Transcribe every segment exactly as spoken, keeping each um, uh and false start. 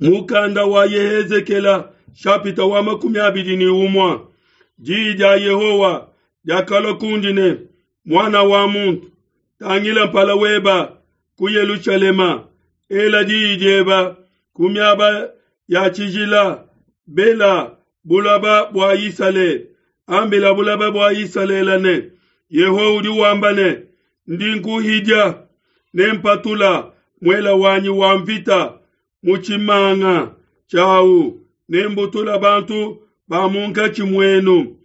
Mukanda wa Yehezekela shapita wa makumi abidi ne umue. Diyi dia Yehowa diakalua kundi ne, muana wa muntu, tangila mpala weba ku Yelushalema, ela diyi dieba ku miaba ya tshijila, bela bulaba bua Isalele, ambila bulaba bua Isalele ne, Yehowa udi wamba ne, ndi nkuhidia ne mpatula muela wanyi wa mvita mu tshimanga tshiawu, ne mbutula bantu ba munkatshi muenu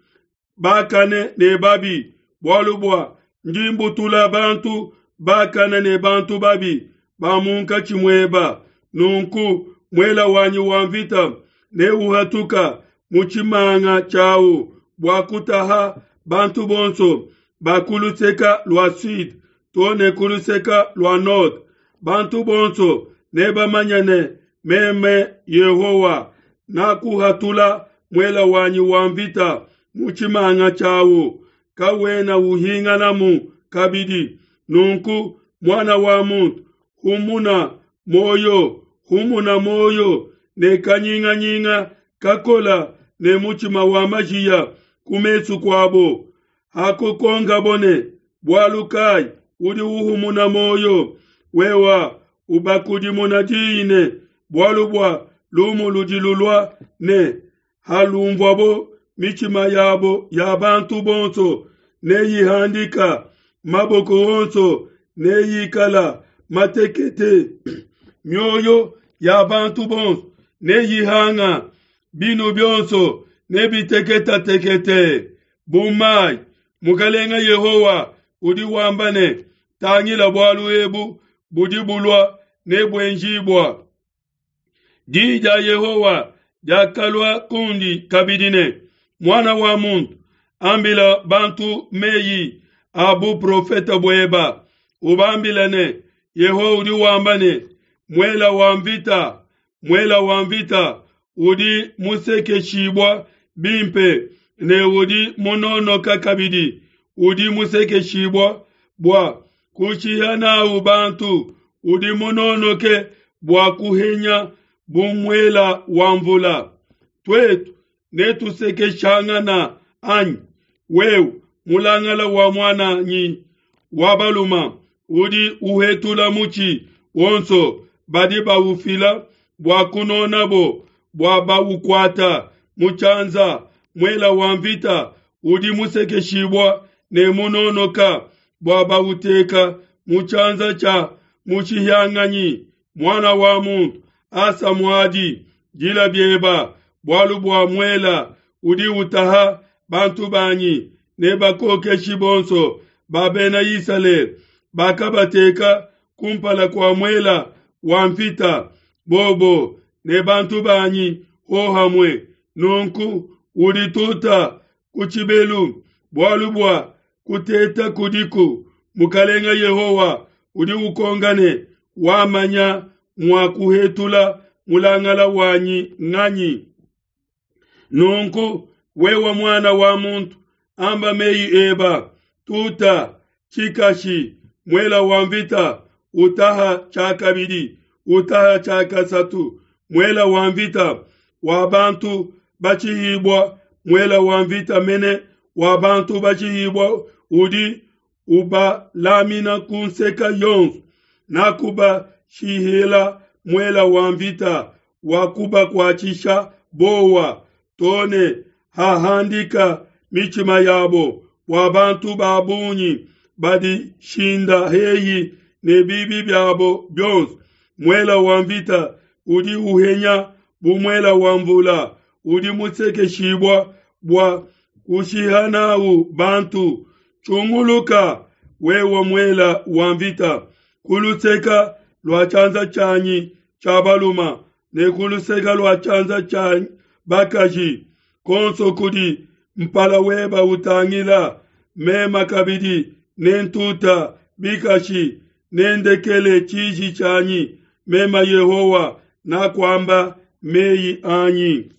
bakane ne babi, bualu bua ndi mbutula bantu bakane ne bantu babi ba munkatshi mueba. Nunku muela wanyi wa mvita neuhatuka mu tshimanga tshiawu bua kutaha bantu bonso ba ku luseke lua sud to ne ku luseke lua nord. Bantu bonso nebamanye ne meme Yehowa nakuhatula muela wanyi wa mvita mu tshimanga tshiawu, kawena uhinganamu kabidi. Nunku muana wa muntu, humuna moyo, humuna moyo ne kanyinganyinga kakola ne mutshima wa majiya ku mesu kuabo. Hakukonkabo ne, bualu kai udi uhumuna moyo? Wewa ubakudimuna diyi ne, bualu bua lumu ludi lulua ne halumvuabo mitshima yabo ya bantu bonso neyihandika, maboko onso neyikala matekete, mioyo ya bantu bonso neyihanga, binu bionso nebiteketatekete bu mai. Mukalenga Yehowa udi wamba ne, tangila bualu ebu budi bulua ne buenjibua. Diyi dia Yehowa diakalua kundi kabidi ne, muana wa muntu, ambila bantu meyi a buprofete bueba, ubambila ne, Yehowa udi wamba ne, muela wa mvita, muela wa mvita udi musekeshibua bimpe ne udi munonoka kabidi, udi musekeshibua bua kushiha nawu bantu, udi munonoke bua kuhenya bu muela wa mvula. Tuetu netusekeshangana anyi? Wewe mulangala wa muananyi wa baluma udi uhetula mutshi wonso badi baufila bua kunonabo, bua baukuata mu tshianza. Muela wa mvita udi musekeshibua ne munonoka bua bauteka mu tshianza tshia mushihianganyi. Muana wa muntu, asa muadi, dila bieba, bualu bua muela udi utaha bantu banyi ne bakokeshi bonso ba bena Isalele bakabateka kumpala kua muela wa mvita, bobo ne bantu banyi hohamue. Nunku udituta ku tshibelu, bualu bua kuteta kudiku. Mukalenga Yehowa udi ukonga ne, wamanya mua kuhetula mulangala wanyi nganyi? Nunku wewe muana wa muntu, amba meyi eba, tuta tshikashi, muela wa mvita utaha tshiakabidi, utaha tshiakasatu, muela wa mvita wa bantu batshihibua, muela wa mvita mene wa bantu batshihibua udi ubalamina ku nseka yonso. Nakubashihila muela wa mvita wa kubakuatshisha bowa, to ne hahandika mitshima yabo, bua bantu ba bungi badishinda heyi ne bibi biabo bionso. Muela wa mvita udi uhenya bu muela wa mvula, udi musekeshibua bua kushiha nawu bantu. Tshunguluka, wewe muela wa mvita, ku luseke lua tshianza tshianyi tshia baluma ne ku luseke lua tshianza tshia bakaji, konso kudi mpala weba utangila. Mema kabidi nentuta bikashi, nendekele tshiji tshianyi. Mema Yehowa nakuamba meyi anyi.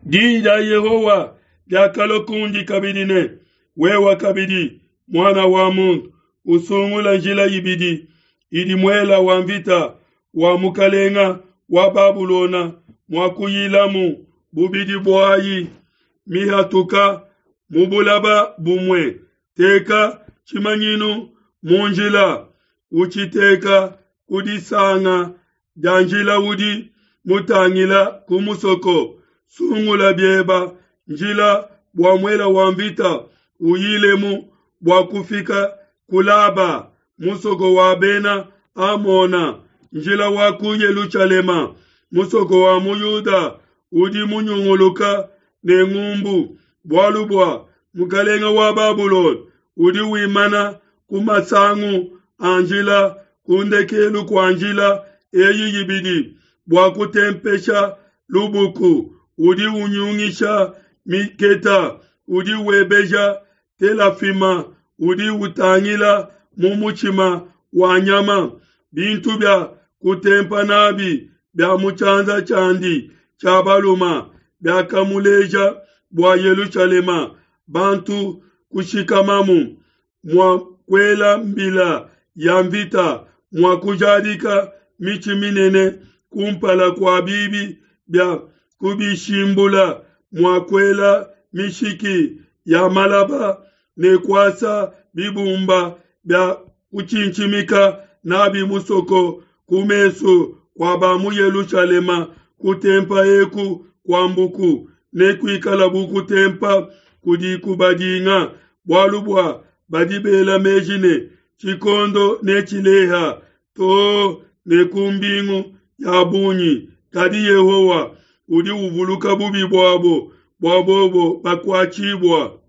Diyi dia Yehowa diakalua kundi kabidi ne, wewe kabidi muana wa muntu, usungula njila ibidi idi muela wa mvita wa mukalenga wa Babulona muakuyilamu bubidi buayi mihatuka mu bulaba bumue. Teka tshimanyinu mu njila, utshiteka ku disanga dia njila udi mutangila ku musoko. Sungula bieba njila bua muela wa mvita uyilemu bua kufika ku Laba, musoko wa bena Amona, njila wa ku Yelushalema, musoko wa mu Yuda udi munyunguluka ne ngumbu, bualu bua mukalenga wa Babulona udi wimana ku masangu a njila ku ndekelu kua njila eyi ibidi bua kutempesha lubuku, udi unyungisha miketa, udi webeja telafima, udi utangila mu mutshima wa nyama. Bintu bia kutempa nabi bia mu tshianza tshiandi tshia baluma biakamuleja bua Yelushalema, bantu kushikamamu, mua kuela mbila ya mvita, mua kujadika mitshi minene kumpala kua bibi bia kubishimbula, mua kuela mishiki ya malaba ne kuasa bibumba bia kutshintshimika nabi musoko ku mesu kua ba mu Yelushalema. Kutempa eku kua mbuku nekuikala bu kutempa kudi kubadinga, bualu bua badi bela meji ne tshikondo netshileha too ne ku mbingu ya bungi. Kadi Yehowa udi uvuluka bubi buabo, bua bobo bakuatshibua.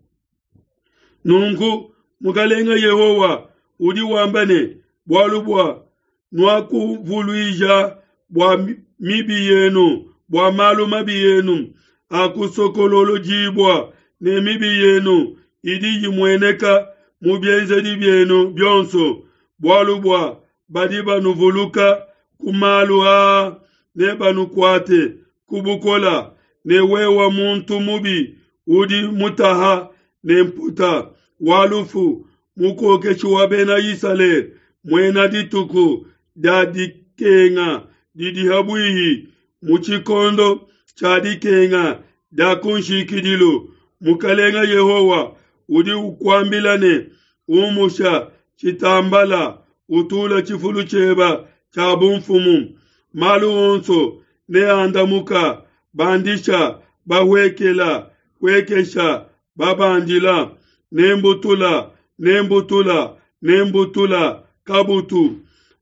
Nunku Mukalenga Yehowa udi wamba ne, bualu bua nuakuvuluija bua mibi yenu, bua malu mabi yenu akusokololodibua, ne mibi yenu idi imueneka mu bienzedi bienu bionso, bualu bua badi banuvuluka ku malu aa ne banukuate ku bukola, ne wewa muntu mubi udi mutaha ne mputa wa lufu, mukokeshi wa bena Isalele, muena dituku dia dikenga didi habuihi, mu tshikondo tshia dikenga dia kunshikidilu, Mukalenga Yehowa udi ukuambila ne, umusha tshitambala, utula tshifulu tshieba tshia bumfumu. Malu onso neandamuka, bandisha bahuekela, huekesha babandila, nembutula nembutula nembutula kabutu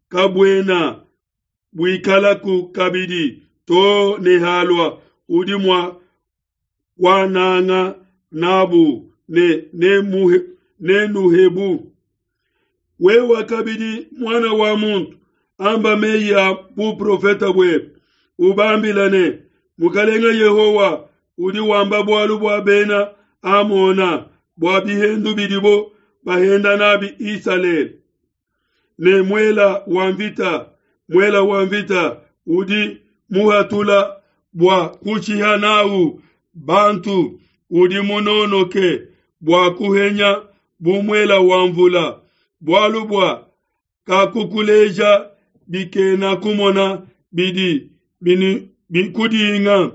kabuena buikalaku kabidi to ne halua udi mua kuananga nabu ne nenuhebu. Wewa kabidi mwana wa muntu, amba meyi a buprofeta buebe, ubambila ne, Mukalenga Yehowa udi wamba bualu bua bena Amona, bua bihendu bidibo bahenda nabi Isalele. Ne muela wa mvita, muela wa mvita udi muhatula bua kushiha nawu bantu, udi munonoke bua kuhenya bu muela wa mvula, bualu bua kakukuleja bikena kumona bidi bikudinga.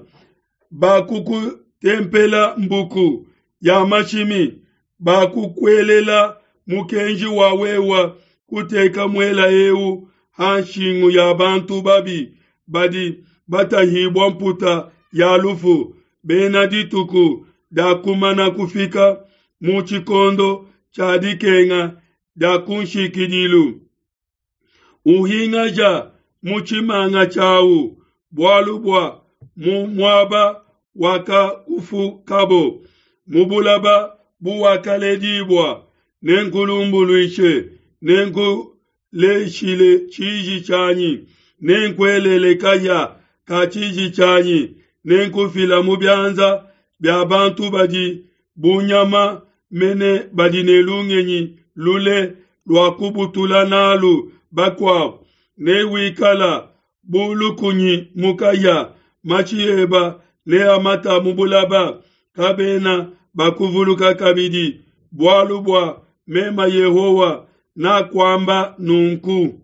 Bakukutempela mbuku ya mashimi, bakukuelela mukenji wa wewa kuteka muela eu ha nshingu ya bantu babi badi batahibua mputa ya lufu, bena dituku dia kumana kufika mu tshikondo tshia dikenga dia kunshikidilu. Uhingaja mu tshimanga tshiawu, bualu bua mu muaba wakakufukabo, mu bulaba buwakaledibua, nenkulumbuluishe, nenkuleshile tshiji tshianyi, nenkuelele kahia ka tshiji tshianyi, nenkufila mu bianza bia bantu badi bu nyama mene badi ne lungenyi lule lua kubutula nalu bakuabo, newikala bu lukunyi mu kahia, matshi eba neamata mu bulaba, kabena bakuvuluka kabidi, bualu bua mema Yehowa nakuamba nunku.